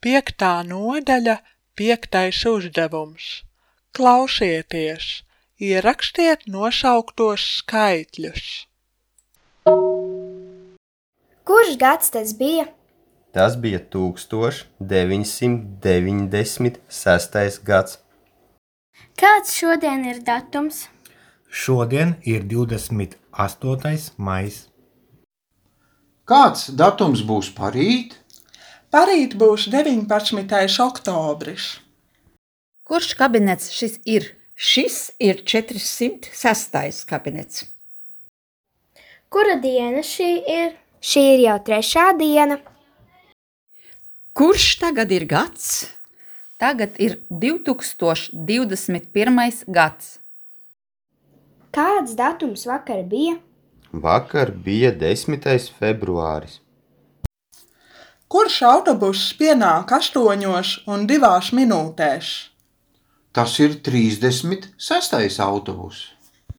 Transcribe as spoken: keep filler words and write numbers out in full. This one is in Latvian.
Piektā nodaļa, piektais uzdevums. Klausieties, ierakstiet nosauktos skaitļus. Kurš gads tas bija? Tas bija tūkstoš deviņsimt deviņdesmit sestais gads. Kāds šodien ir datums? Šodien ir divdesmit astotais maijs. Kāds datums būs parīt? Parīt būs deviņpadsmitais oktobris. Kurš kabinets šis ir? Šis ir četrsimt sestais kabinets. Kura diena šī ir? Šī ir jau trešā diena. Kurš tagad ir gads? Tagad ir divtūkstoš divdesmit pirmais gads. Kāds datums vakar bija? Vakar bija desmitais februāris. Kurš autobuss pienāk astoņos un divās minūtēs? Tas ir trīsdesmit sestais autobus.